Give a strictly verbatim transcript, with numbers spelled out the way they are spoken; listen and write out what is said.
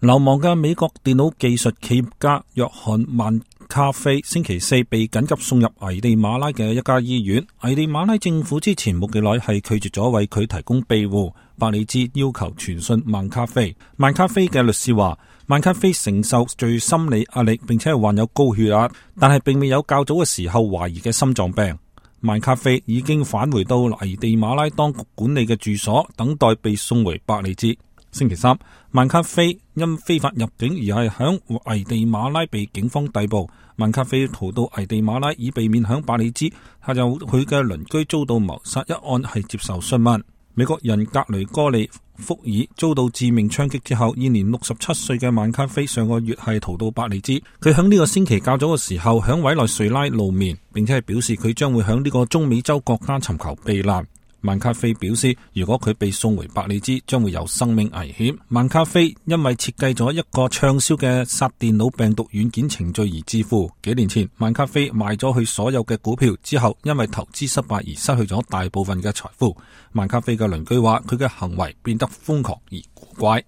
流亡嘅美國電腦技術企業家約翰曼卡菲星期四被緊急送入危地馬拉嘅一家醫院。危地馬拉政府之前冇幾耐係拒絕咗為佢提供庇護。百里茲要求傳訊曼卡菲。曼卡菲嘅律師話，曼卡菲承受住心理壓力，並且係患有高血壓，但係並未有較早嘅時候懷疑嘅心臟病。曼卡菲已經返回到危地馬拉當局管理嘅住所，等待被送回百里茲。星期三，曼卡菲因非法入境而係響危地馬拉被警方逮捕。曼卡菲逃到危地馬拉以避免響百里茲，係由佢嘅鄰居遭到謀殺一案係接受詢問。美國人格雷戈利福爾遭到致命槍擊之後，現年六十七歲嘅曼卡菲上個月係逃到百里茲。佢響呢個星期較早嘅時候響委內瑞拉露面，並且係表示佢將會響呢個中美洲國家尋求避難。曼卡菲表示，如果佢被送回百里茲，將會有生命危險。曼卡菲因為設計咗一個暢銷嘅殺電腦病毒軟件程序而致富。幾年前，曼卡菲賣咗佢所有嘅股票之後，因為投資失敗而失去咗大部分嘅財富。曼卡菲嘅鄰居話，佢嘅行為變得瘋狂而古怪。